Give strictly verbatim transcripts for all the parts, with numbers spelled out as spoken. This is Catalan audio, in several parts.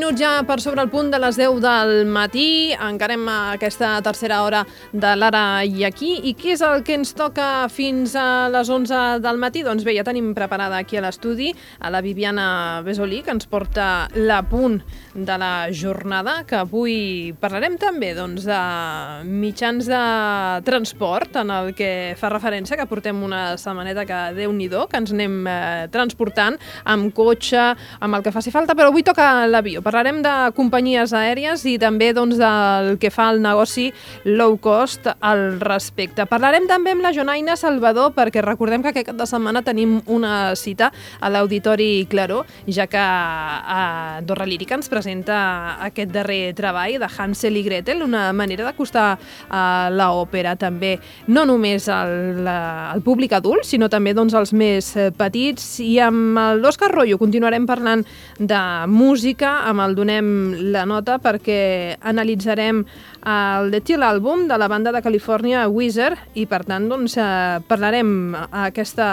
minuts ja per sobre el punt de les deu del matí. Encarem aquesta tercera hora de l'Ara i Aquí. I què és el que ens toca fins a les onze del matí? Doncs bé, ja tenim preparada aquí a l'estudi a la Viviana Besolí, que ens porta l'apunt de la jornada, que avui parlarem també doncs, de mitjans de transport, en el que fa referència que portem una setmaneta que Déu-n'hi-do, que ens anem eh, transportant amb cotxe, amb el que faci falta, però avui toca l'avió. Parlarem de companyies aèries i també doncs, del que fa el negoci low cost al respecte. Parlarem també amb la Jonaina Salvador, perquè recordem que aquest cap de setmana tenim una cita a l'Auditori Claró, ja que a Andorra Lírica ens presenta aquest darrer treball de Hansel i Gretel, una manera d'acostar a l'òpera també, no només al, al públic adult, sinó també doncs, als més petits. I amb l'Òscar Royo continuarem parlant de música, amb el Donem la Nota, perquè analitzarem el The Till àlbum de la banda de Califòrnia Weezer i per tant doncs, eh, parlarem a aquesta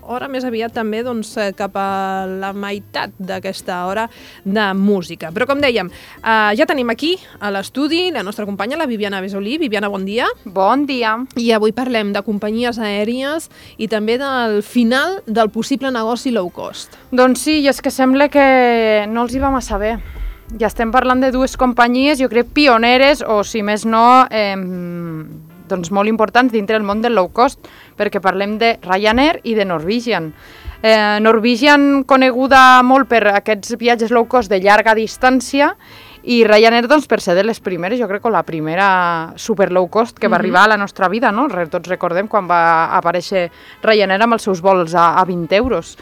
hora, més aviat també doncs, cap a la meitat d'aquesta hora de música. Però com dèiem, eh, ja tenim aquí a l'estudi la nostra companya, la Viviana Besolí. Viviana, bon dia. Bon dia. I avui parlem de companyies aèries i també del final del possible negoci low cost. Doncs sí, i és que sembla que no els hi va massa bé. Ja estem parlant de dues companyies, jo crec, pioneres, o si més no, eh, doncs molt importants dintre del món del low cost, perquè parlem de Ryanair i de Norwegian. Eh, Norwegian coneguda molt per aquests viatges low cost de llarga distància, i Ryanair doncs, per ser de les primeres, jo crec que la primera super low cost que va mm-hmm. arribar a la nostra vida, no? Tots recordem quan va aparèixer Ryanair amb els seus vols a, a vint euros.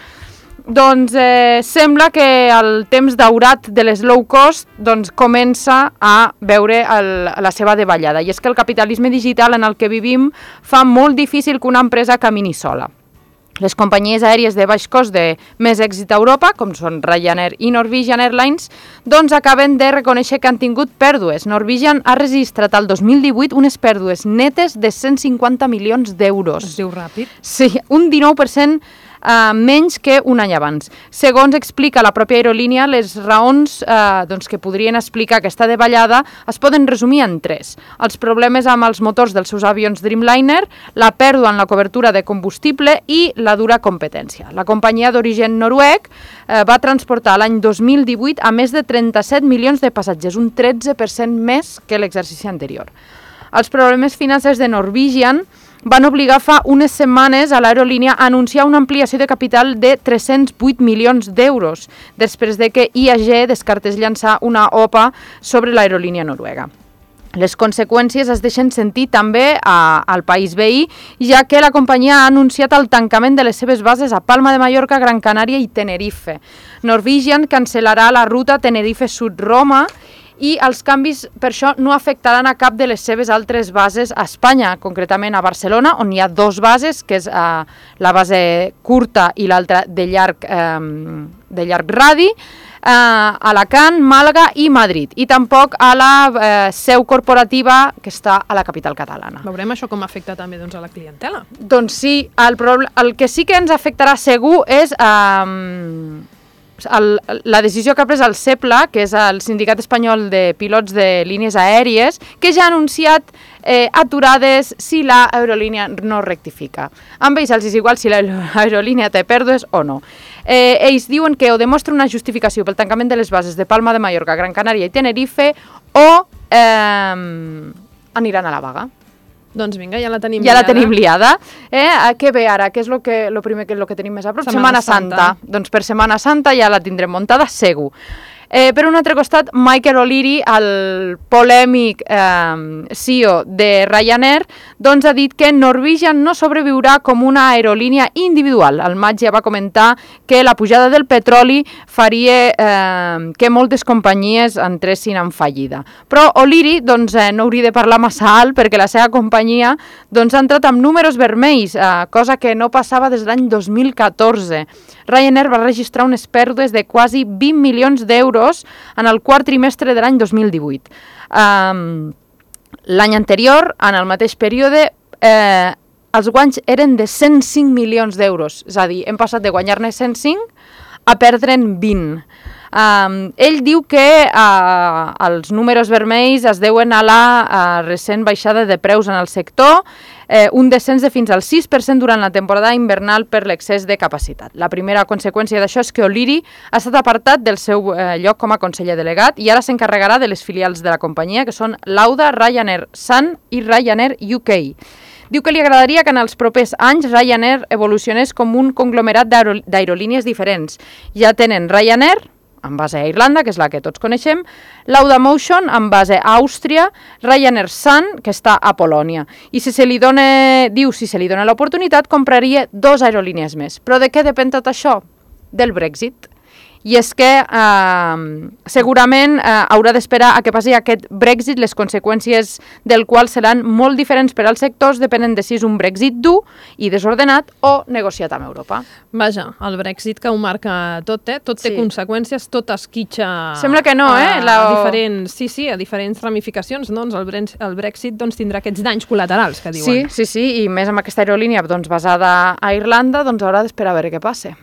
Doncs eh, sembla que el temps daurat de les low cost doncs, comença a veure el, la seva davallada. I és que el capitalisme digital en el que vivim fa molt difícil que una empresa camini sola. Les companyies aèries de baix cost de més èxit a Europa, com són Ryanair i Norwegian Airlines, doncs acaben de reconèixer que han tingut pèrdues. Norwegian ha registrat al dos mil divuit unes pèrdues netes de cent cinquanta milions d'euros. Es diu ràpid. Sí, un dinou per cent Uh, menys que un any abans. Segons explica la pròpia aerolínia, les raons uh, doncs, que podrien explicar aquesta davallada es poden resumir en tres. Els problemes amb els motors dels seus avions Dreamliner, la pèrdua en la cobertura de combustible i la dura competència. La companyia d'origen noruec uh, va transportar l'any dos mil divuit a més de trenta-set milions de passatgers, un tretze per cent més que l'exercici anterior. Els problemes financers de Norwegian van obligar fa unes setmanes a l'aerolínia a anunciar una ampliació de capital de tres-cents vuit milions d'euros, després de que I A G descartés llançar una O P A sobre l'aerolínia noruega. Les conseqüències es deixen sentir també a, al país veí, ja que la companyia ha anunciat el tancament de les seves bases a Palma de Mallorca, Gran Canària i Tenerife. Norwegian cancel·larà la ruta Tenerife-Sud-Roma i els canvis per això no afectaran a cap de les seves altres bases a Espanya, concretament a Barcelona, on hi ha dos bases, que és eh, la base curta i l'altra de llarg, eh, de llarg radi, eh, Alacant, Màlaga i Madrid, i tampoc a la eh, seu corporativa que està a la capital catalana. Veurem això com afecta també doncs, a la clientela. Doncs sí, el, el que sí que ens afectarà segur és Eh, El, la decisió que ha pres el SEPLA, que és el Sindicat Espanyol de Pilots de Línies Aèries, que ja ha anunciat eh, aturades si l'aerolínia no rectifica. Amb ells els és igual si l'aerolínia té pèrdues o no. Eh, ells diuen que o demostra una justificació pel tancament de les bases de Palma de Mallorca, Gran Canària i Tenerife o eh, aniran a la vaga. Doncs vinga, ja la tenim ja liada. la tenim liada. Eh? Què ve ara? Què és el que, lo primer que, lo que tenim més a prop? Setmana, Setmana Santa. Santa. Doncs per Setmana Santa ja la tindrem muntada, segur. Eh, per un altre costat, Michael O'Leary, el polèmic eh, C E O de Ryanair, doncs ha dit que Norwegian no sobreviurà com una aerolínia individual. Al maig ja va comentar que la pujada del petroli faria eh, que moltes companyies entressin en fallida. Però O'Leary doncs, eh, no hauria de parlar massa alt perquè la seva companyia doncs, ha entrat amb números vermells, eh, cosa que no passava des de l'any dos mil catorze. Ryanair va registrar unes pèrdues de quasi vint milions d'euros en el quart trimestre de l'any dos mil divuit. Um, l'any anterior, en el mateix període, eh, els guanys eren de cent cinc milions d'euros. És a dir, hem passat de guanyar-ne cent cinc a perdre'n vint. Um, ell diu que uh, els números vermells es deuen a la uh, recent baixada de preus en el sector, eh, un descens de fins al sis per cent durant la temporada invernal per l'excés de capacitat. La primera conseqüència d'això és que O'Leary ha estat apartat del seu eh, lloc com a conseller delegat i ara s'encarregarà de les filials de la companyia, que són Lauda, Ryanair Sun i Ryanair U K. Diu que li agradaria que en els propers anys Ryanair evolucionés com un conglomerat d'aerolínies diferents. Ja tenen Ryanair, amb base a Irlanda, que és la que tots coneixem, Laudamotion, amb base a Àustria, Ryanair Sun, que està a Polònia. I si se li dona, diu, si se li dona l'oportunitat, compraria dos aerolínies més. Però de què depèn tot això? Del Brexit. I és que eh, segurament eh, haurà d'esperar a que passi aquest Brexit, les conseqüències del qual seran molt diferents per als sectors, depenent de si és un Brexit dur i desordenat o negociat amb Europa. Vaja, el Brexit que ho marca tot, eh? Tot té sí. conseqüències, tot esquitxa... Sembla que no, eh? A, a diferents, sí, sí, a diferents ramificacions, doncs el, Bre el Brexit doncs, tindrà aquests danys col·laterals que diuen. Sí, sí, sí, i més amb aquesta aerolínia doncs, basada a Irlanda, doncs haurà d'esperar a veure què passa.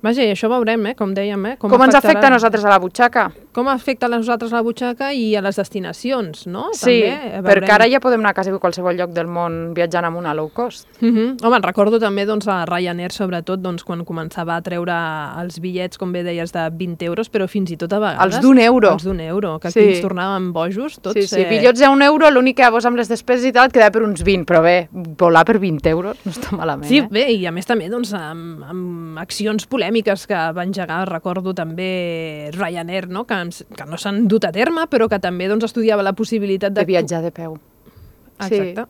Vaja, i això veurem, eh? Com dèiem, eh? Com, com ens afecta a nosaltres a la butxaca? Com afecta a nosaltres a la butxaca i a les destinacions, no? Sí, també, perquè ara ja podem anar a quasi qualsevol lloc del món viatjant amb una low cost. Uh -huh. Home, recordo també doncs, a Ryanair, sobretot, doncs, quan començava a treure els bitllets, com bé deies, de vint euros, però fins i tot a vegades... Els d'un euro. Els d'un euro, que sí. aquí ens tornàvem bojos, tots. Sí, sí, eh... bitllets a un euro, l'únic que llavors amb les despeses i tal et quedava per uns vint, però bé, volar per vint euros no està malament, sí, eh? bé, i a més també doncs, amb, amb accions polèmiques que va engegar, recordo també Ryanair, no? que, que no s'han dut a terme, però que també doncs, estudiava la possibilitat de... De viatjar de peu. Exacte. Sí.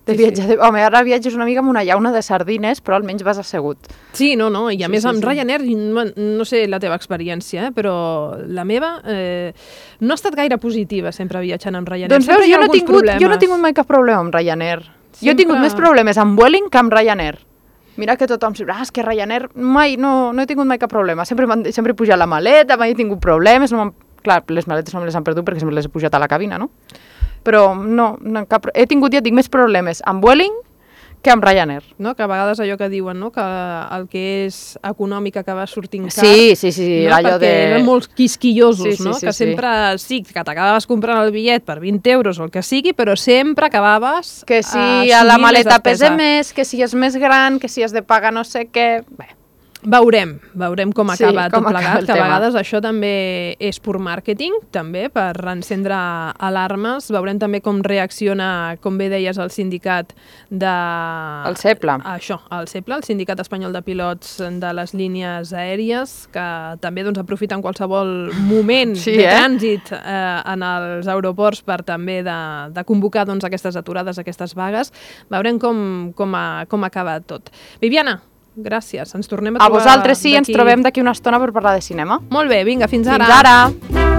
De sí, viatjar sí. de... Home, ara viatges una mica amb una llauna de sardines, però almenys vas assegut. Sí, no, no, i a sí, més sí, amb sí. Ryanair, no, no sé la teva experiència, eh, però la meva eh, no ha estat gaire positiva sempre viatjant amb Ryanair. Doncs veus, jo no, tingut, problemes. jo no he tingut mai cap problema amb Ryanair. Sempre... Jo he tingut més problemes amb Vueling que amb Ryanair. Mira que tothom diu, ah, és que Ryanair mai, no, no he tingut mai cap problema. Sempre, sempre he pujat la maleta, mai he tingut problemes. No Clar, les maletes no me les han perdut perquè sempre les he pujat a la cabina, no? Però no, no cap... he tingut, ja dic, més problemes amb Vueling que amb Ryanair. No? Que a vegades allò que diuen, no? Que el que és econòmic acaba sortint car. Sí, sí, sí. No? Allò Perquè de... eren molt quisquillosos, sí, sí, no? sí, que sí. sempre, sí, que t'acabaves comprant el bitllet per vint euros o el que sigui, però sempre acabaves Que si a a la maleta pesa més, que si és més gran, que si has de pagar no sé què... Bé. Veurem, veurem com acaba sí, tot com plegat, acaba que a tema. vegades això també és pur màrqueting, també, per encendre alarmes. Veurem també com reacciona, com bé deies, el sindicat de... El CEPLA. Això, el CEPLA, el Sindicat Espanyol de Pilots de les Línies Aèries, que també doncs, aprofiten qualsevol moment sí, de eh? trànsit eh, en els aeroports per també de, de convocar doncs, aquestes aturades, aquestes vagues. Veurem com, com, a, com acaba tot. Viviana, gràcies. Ens tornem a trobar... A vosaltres sí, ens trobem d'aquí una estona per parlar de cinema. Molt bé, vinga, fins ara. Fins ara.